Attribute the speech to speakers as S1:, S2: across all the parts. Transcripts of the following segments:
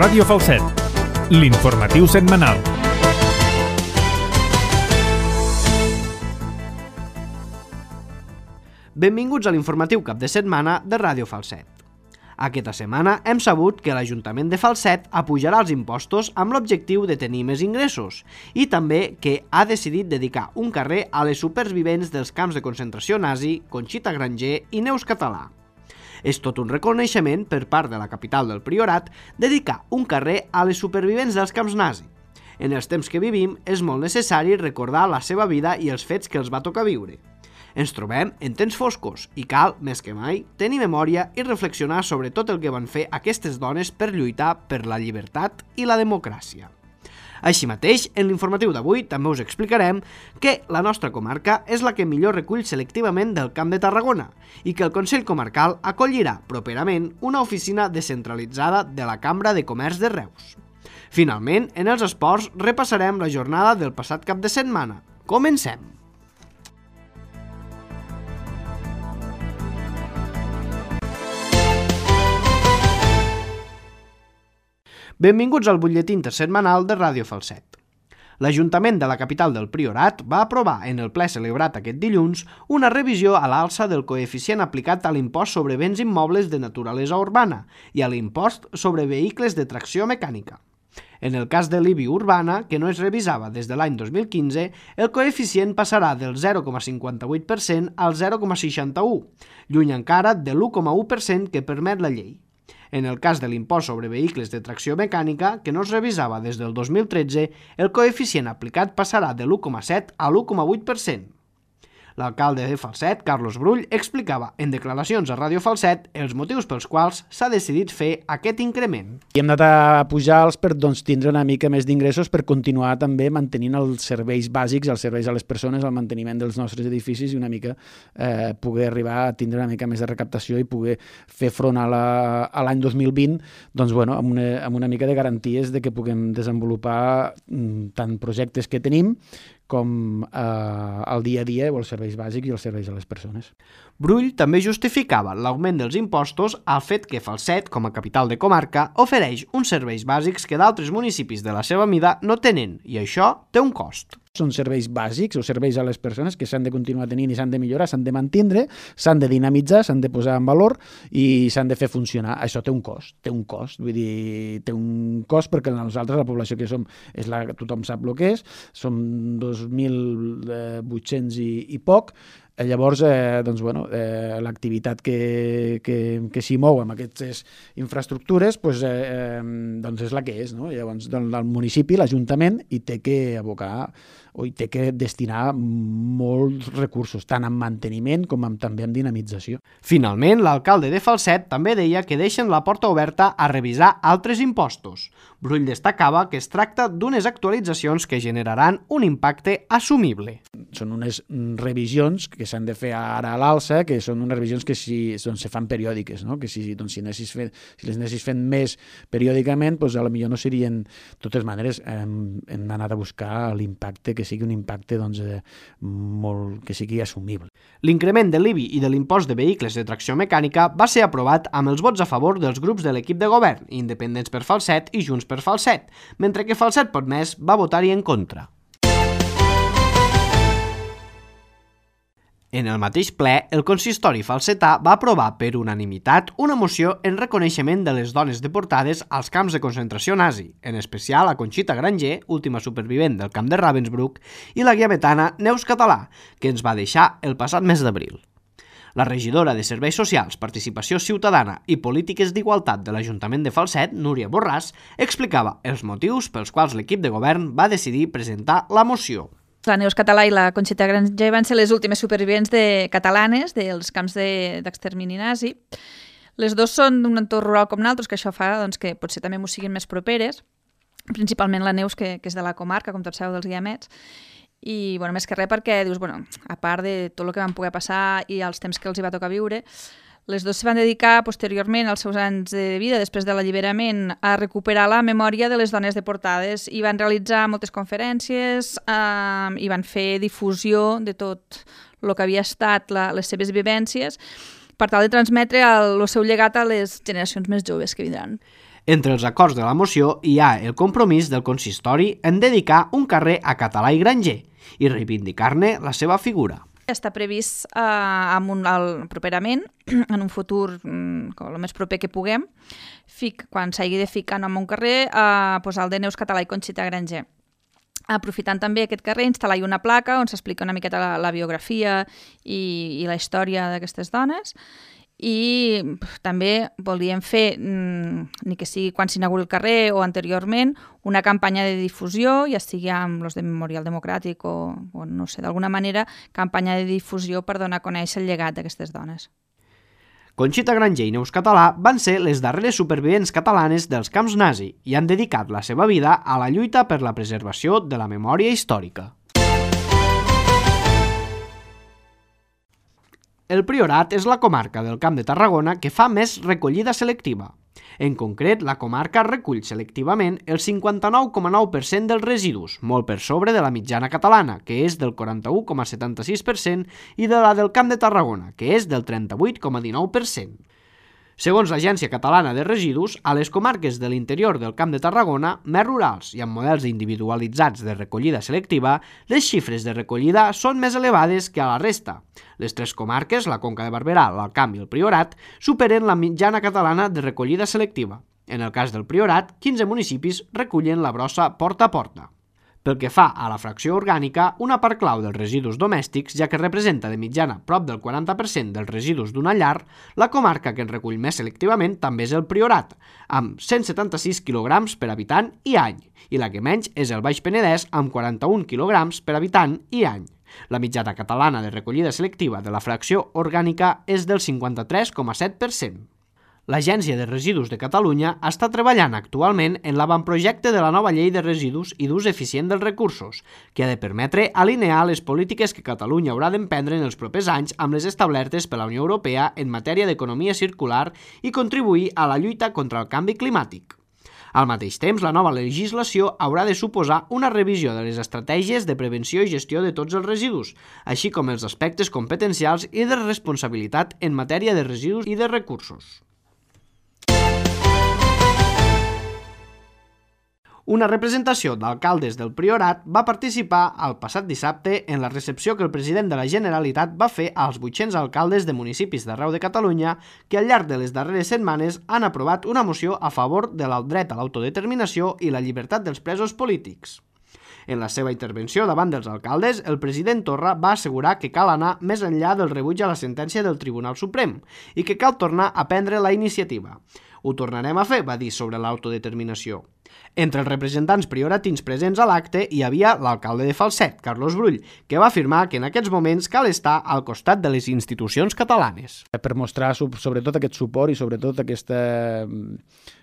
S1: Ràdio Falset, l'informatiu setmanal.
S2: Benvinguts a l'informatiu cap de setmana de Ràdio Falset. Aquesta setmana hem sabut que l'Ajuntament de Falset apujarà els impostos amb l'objectiu de tenir més ingressos i també que ha decidit dedicar un carrer a les supervivents dels camps de concentració nazi Conxita Granger i Neus Català. És tot un reconeixement per part de la capital del Priorat dedicar un carrer a les supervivents dels camps nazi. En els temps que vivim és molt necessari recordar la seva vida i els fets que els va tocar viure. Ens trobem en temps foscos i cal, més que mai, tenir memòria i reflexionar sobre tot el que van fer aquestes dones per lluitar per la llibertat i la democràcia. Així mateix, en l'informatiu d'avui també us explicarem que la nostra comarca és la que millor recull selectivament del Camp de Tarragona i que el Consell Comarcal acollirà properament una oficina descentralitzada de la Cambra de Comerç de Reus. Finalment, en els esports repassarem la jornada del passat cap de setmana. Comencem! Benvinguts al butlletí intersetmanal de Ràdio Falset. L'Ajuntament de la capital del Priorat va aprovar en el ple celebrat aquest dilluns una revisió a l'alça del coeficient aplicat a l'impost sobre béns immobles de naturalesa urbana i a l'impost sobre vehicles de tracció mecànica. En el cas de l'IBI urbana, que no es revisava des de l'any 2015, el coeficient passarà del 0,58% al 0,61%, lluny encara de l'1,1% que permet la llei. En el cas de l'impost sobre vehicles de tracció mecànica, que no es revisava des del 2013, el coeficient aplicat passarà de l'1,7 a l'1,8%. L'alcalde de Falset, Carlos Brull, explicava en declaracions a Ràdio Falset els motius pels quals s'ha decidit fer aquest increment.
S3: I hem anat a pujar-los per tindre una mica més d'ingressos per continuar també mantenint els serveis bàsics, els serveis a les persones, el manteniment dels nostres edificis i una mica poder arribar a tindre una mica més de recaptació i poder fer front a l'any 2020 doncs, amb una mica de garanties de que puguem desenvolupar tant projectes que tenim com el dia a dia o els serveis bàsics i els serveis a les persones.
S2: Brull també justificava l'augment dels impostos al fet que Falset, com a capital de comarca, ofereix uns serveis bàsics que d'altres municipis de la seva mida no tenen i això té un cost.
S3: Són serveis bàsics o serveis a les persones que s'han de continuar tenint i s'han de millorar, s'han de mantindre, s'han de dinamitzar, s'han de posar en valor i s'han de fer funcionar. Això té un cost, vull dir, té un cost perquè nosaltres, la població que som, tothom sap el que és, som 2.800 i poc. Llavors, l'activitat que s'hi mou amb aquestes infraestructures és la que és, no? Llavors, el municipi, l'Ajuntament, hi té que abocar o hi té que destinar molts recursos, tant en manteniment com també en dinamització.
S2: Finalment, l'alcalde de Falset també deia que deixen la porta oberta a revisar altres impostos. Brull destacava que es tracta d'unes actualitzacions que generaran un impacte assumible.
S3: Són unes revisions que s'han de fer ara a l'alça, que són unes revisions que se fan periòdiques, no? Que si les anessis fent més periòdicament, potser no serien. De totes maneres, hem anat a buscar l'impacte, que sigui un impacte que sigui assumible.
S2: L'increment de l'IBI i de l'impost de vehicles de tracció mecànica va ser aprovat amb els vots a favor dels grups de l'equip de govern, Independents per Falset i Junts per Falset, mentre que Falset Pot Més va votar-hi en contra. En el mateix ple, el consistori falsetà va aprovar per unanimitat una moció en reconeixement de les dones deportades als camps de concentració nazi, en especial a Conxita Granger, última supervivent del camp de Ravensbrück, i la guiametana Neus Català, que ens va deixar el passat mes d'abril. La regidora de Serveis Socials, Participació Ciutadana i Polítiques d'Igualtat de l'Ajuntament de Falset, Núria Borràs, explicava els motius pels quals l'equip de govern va decidir presentar la moció.
S4: La Neus Català i la Conxita Granger van ser les últimes supervivents catalanes dels camps d'extermini nazi. Les dues són d'un entorn rural com nosaltres, que això fa que potser també m'ho siguin més properes, principalment la Neus, que és de la comarca, com tots sabeu, dels Guiamets, i més que res perquè dius, a part de tot el que van poder passar i els temps que els hi va tocar viure, les dues se van dedicar posteriorment als seus anys de vida, després de l'alliberament, a recuperar la memòria de les dones deportades i van realitzar moltes conferències i van fer difusió de tot el que havia estat les seves vivències per tal de transmetre el seu llegat a les generacions més joves que vindran.
S2: Entre els acords de la moció hi ha el compromís del consistori en dedicar un carrer a Català i Granger i reivindicar-ne la seva figura.
S4: Està previst properament, en un futur el més proper que puguem, quan s'hagi de ficar nom a un carrer, posar el de Neus Català i Conxita Granger. Aprofitant també aquest carrer, instal·lar-hi una placa on s'explica una miqueta la biografia i la història d'aquestes dones. I també volíem fer, ni que sigui quan s'inauguri el carrer o anteriorment, una campanya de difusió, ja sigui amb els de Memorial Democràtic o no sé, d'alguna manera, campanya de difusió per donar a conèixer el llegat d'aquestes dones.
S2: Conxita Granger i Neus Català van ser les darreres supervivents catalanes dels camps nazi i han dedicat la seva vida a la lluita per la preservació de la memòria històrica. El Priorat és la comarca del Camp de Tarragona que fa més recollida selectiva. En concret, la comarca recull selectivament el 59,9% dels residus, molt per sobre de la mitjana catalana, que és del 41,76%, i de la del Camp de Tarragona, que és del 38,19%. Segons l'Agència Catalana de Residus, a les comarques de l'interior del Camp de Tarragona, més rurals i amb models individualitzats de recollida selectiva, les xifres de recollida són més elevades que a la resta. Les tres comarques, la Conca de Barberà, l'Alt Camp i el Priorat, superen la mitjana catalana de recollida selectiva. En el cas del Priorat, 15 municipis recullen la brossa porta a porta. Pel que fa a la fracció orgànica, una part clau dels residus domèstics, ja que representa de mitjana prop del 40% dels residus d'una llar, la comarca que en recull més selectivament també és el Priorat, amb 176 kg per habitant i any, i la que menys és el Baix Penedès, amb 41 kg per habitant i any. La mitjana catalana de recollida selectiva de la fracció orgànica és del 53,7%. L'Agència de Residus de Catalunya està treballant actualment en l'avantprojecte de la nova llei de residus i d'ús eficient dels recursos, que ha de permetre alinear les polítiques que Catalunya haurà d'emprendre en els propers anys amb les establertes per la Unió Europea en matèria d'economia circular i contribuir a la lluita contra el canvi climàtic. Al mateix temps, la nova legislació haurà de suposar una revisió de les estratègies de prevenció i gestió de tots els residus, així com els aspectes competencials i de responsabilitat en matèria de residus i de recursos. Una representació d'alcaldes del Priorat va participar el passat dissabte en la recepció que el president de la Generalitat va fer als 800 alcaldes de municipis d'arreu de Catalunya que al llarg de les darreres setmanes han aprovat una moció a favor del dret a l'autodeterminació i la llibertat dels presos polítics. En la seva intervenció davant dels alcaldes, el president Torra va assegurar que cal anar més enllà del rebuig a la sentència del Tribunal Suprem i que cal tornar a prendre la iniciativa. Ho tornarem a fer, va dir sobre l'autodeterminació. Entre els representants prioratins presents a l'acte hi havia l'alcalde de Falset, Carlos Brull, que va afirmar que en aquests moments cal estar al costat de les institucions catalanes.
S3: Per mostrar sobretot aquest suport i sobretot aquesta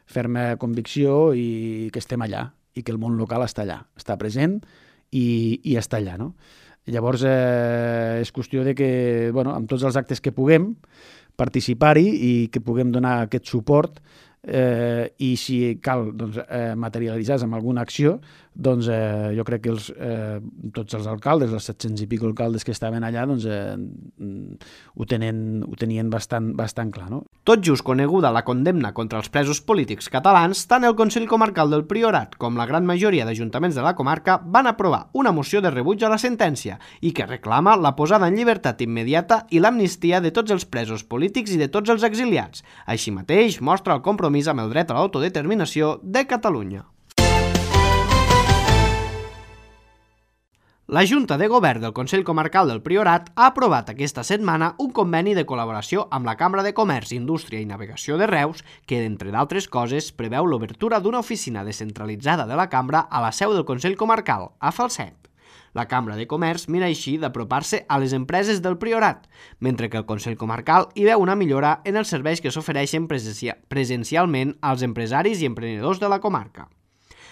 S3: ferma convicció i que estem allà i que el món local està allà, està present i està allà, no? Llavors és qüestió de que, amb tots els actes que puguem, participar-hi i que puguem donar aquest suport i si cal materialitzar-se amb alguna acció, jo crec que tots els alcaldes, els 700 i pico alcaldes que estaven allà, ho tenien bastant clar, no?
S2: Tot just coneguda la condemna contra els presos polítics catalans, tant el Consell Comarcal del Priorat com la gran majoria d'ajuntaments de la comarca van aprovar una moció de rebuig a la sentència i que reclama la posada en llibertat immediata i l'amnistia de tots els presos polítics i de tots els exiliats. Així mateix, mostra el compromís amb el dret a l'autodeterminació de Catalunya. La Junta de Govern del Consell Comarcal del Priorat ha aprovat aquesta setmana un conveni de col·laboració amb la Cambra de Comerç, Indústria i Navegació de Reus que, entre d'altres coses, preveu l'obertura d'una oficina descentralitzada de la Cambra a la seu del Consell Comarcal, a Falset. La Cambra de Comerç mira així d'apropar-se a les empreses del Priorat, mentre que el Consell Comarcal hi veu una millora en els serveis que s'ofereixen presencialment als empresaris i emprenedors de la comarca.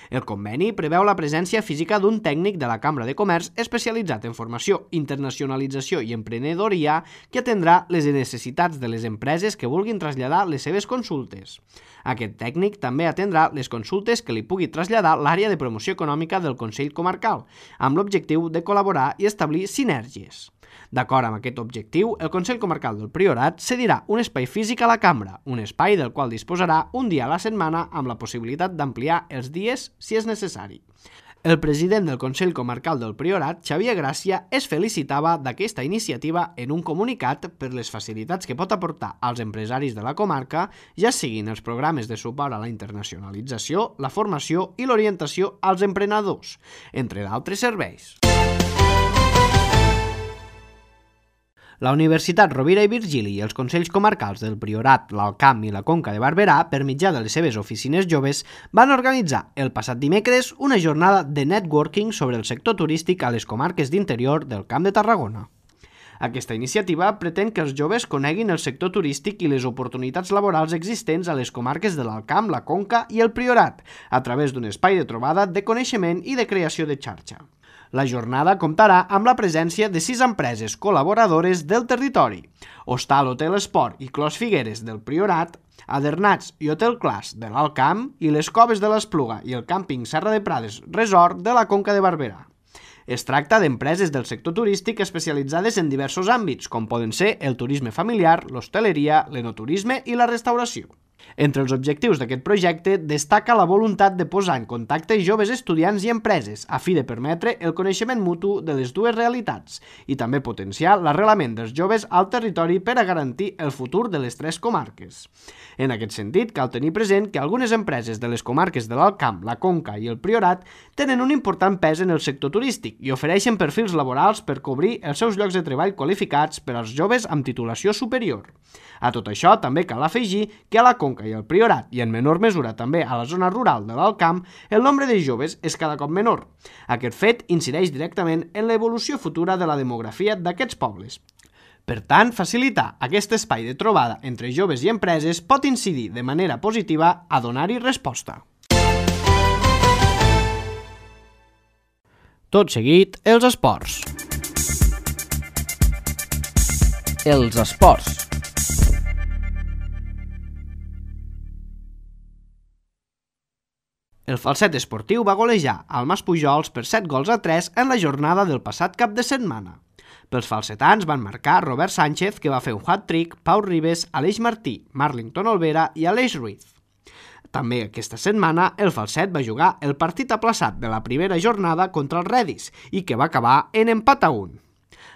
S2: El conveni preveu la presència física d'un tècnic de la Cambra de Comerç especialitzat en formació, internacionalització i emprenedoria que atendrà les necessitats de les empreses que vulguin traslladar les seves consultes. Aquest tècnic també atendrà les consultes que li pugui traslladar l'àrea de promoció econòmica del Consell Comarcal, amb l'objectiu de col·laborar i establir sinergies. D'acord amb aquest objectiu, el Consell Comarcal del Priorat cedirà un espai físic a la cambra, un espai del qual disposarà un dia a la setmana amb la possibilitat d'ampliar els dies si és necessari. El president del Consell Comarcal del Priorat, Xavier Gràcia, es felicitava d'aquesta iniciativa en un comunicat per les facilitats que pot aportar als empresaris de la comarca, ja siguin els programes de suport a la internacionalització, la formació i l'orientació als emprenedors, entre d'altres serveis. La Universitat Rovira i Virgili i els Consells Comarcals del Priorat, l'Alt Camp i la Conca de Barberà, per mitjà de les seves oficines joves, van organitzar el passat dimecres una jornada de networking sobre el sector turístic a les comarques d'interior del Camp de Tarragona. Aquesta iniciativa pretén que els joves coneguin el sector turístic i les oportunitats laborals existents a les comarques de l'Alt Camp, la Conca i el Priorat, a través d'un espai de trobada, de coneixement i de creació de xarxa. La jornada comptarà amb la presència de 6 empreses col·laboradores del territori: Hostal Hotel Esport i Clos Figueres del Priorat, Adernats i Hotel Clas de l'Alt Camp i les Coves de l'Espluga i el Càmping Serra de Prades Resort de la Conca de Barberà. Es tracta d'empreses del sector turístic especialitzades en diversos àmbits, com poden ser el turisme familiar, l'hostaleria, l'enoturisme i la restauració. Entre els objectius d'aquest projecte destaca la voluntat de posar en contacte joves estudiants i empreses a fi de permetre el coneixement mutu de les dues realitats i també potenciar l'arrelament dels joves al territori per a garantir el futur de les 3 comarques. En aquest sentit, cal tenir present que algunes empreses de les comarques de l'Alt Camp, la Conca i el Priorat tenen un important pes en el sector turístic i ofereixen perfils laborals per cobrir els seus llocs de treball qualificats per als joves amb titulació superior. A tot això també cal afegir que a la Conca i al Priorat, i en menor mesura també a la zona rural de l'Alt Camp, el nombre de joves és cada cop menor. Aquest fet incideix directament en l'evolució futura de la demografia d'aquests pobles. Per tant, facilitar aquest espai de trobada entre joves i empreses pot incidir de manera positiva a donar-hi resposta. Tot seguit, els esports. Els esports. El Falset esportiu va golejar al Maspujols per 7-3 en la jornada del passat cap de setmana. Pels falsetans van marcar Robert Sánchez, que va fer un hat-trick, Pau Ribes, Aleix Martí, Marlington Olvera i Aleix Ruiz. També aquesta setmana el Falset va jugar el partit aplaçat de la primera jornada contra el Redis i que va acabar en empat a 1.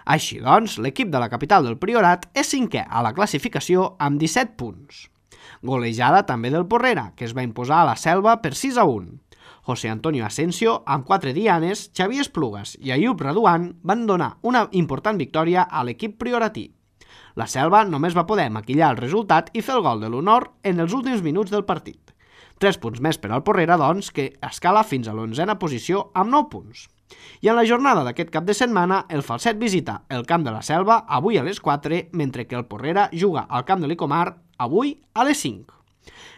S2: Així doncs, l'equip de la capital del Priorat és 5è a la classificació amb 17 punts. Golejada també del Porrera, que es va imposar a la Selva per 6-1. José Antonio Asensio, amb 4 dianes, Xavier Esplugues i Ayub Raduan van donar una important victòria a l'equip prioratí. La Selva només va poder maquillar el resultat i fer el gol de l'honor en els últims minuts del partit. 3 punts més per al Porrera, doncs, que escala fins a l'11a posició amb 9 punts. I en la jornada d'aquest cap de setmana, el Falset visita el Camp de la Selva avui a les 4, mentre que el Porrera juga al Camp de l'Icomar avui a les 5.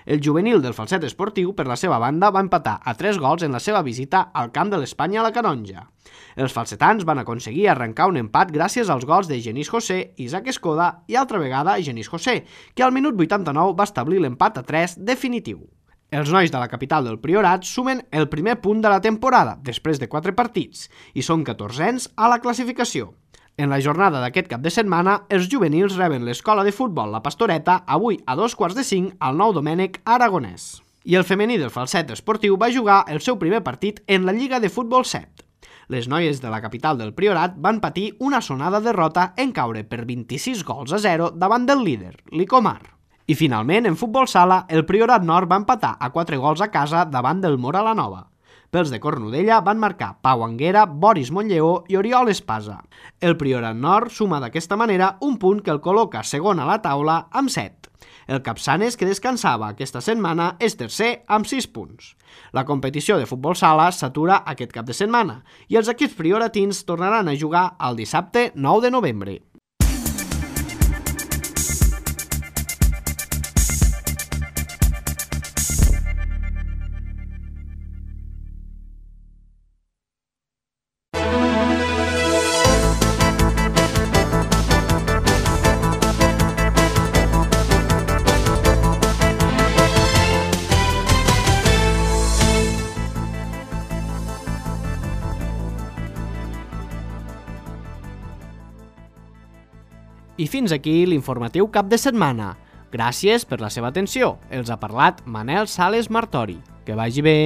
S2: El juvenil del Falset esportiu, per la seva banda, va empatar a 3 gols en la seva visita al Camp de l'Espanya a la Canonja. Els falsetans van aconseguir arrencar un empat gràcies als gols de Genís José, Isaac Escoda i altra vegada Genís José, que al minut 89 va establir l'empat a 3 definitiu. Els nois de la capital del Priorat sumen el primer punt de la temporada, després de 4 partits, i són 14ens a la classificació. En la jornada d'aquest cap de setmana, els juvenils reben l'escola de futbol La Pastoreta avui a 2:45 al Nou Domènec Aragonès. I el femení del Falset esportiu va jugar el seu primer partit en la Lliga de Futbol 7. Les noies de la capital del Priorat van patir una sonada derrota en caure per 26-0 davant del líder, l'Icomar. I finalment, en futbol sala, el Priorat Nord va empatar a 4 gols a casa davant del Mora la Nova. Pels de Cornudella van marcar Pau Anguera, Boris Montlleó i Oriol Espasa. El Priorat Nord suma d'aquesta manera un punt que el col·loca segon a la taula amb 7. El Capçanes, que descansava aquesta setmana, és tercer amb 6 punts. La competició de futbol sala s'atura aquest cap de setmana i els equips prioratins tornaran a jugar el dissabte 9 de novembre. I fins aquí l'informatiu cap de setmana. Gràcies per la seva atenció. Els ha parlat Manel Sales Martori. Que vagi bé.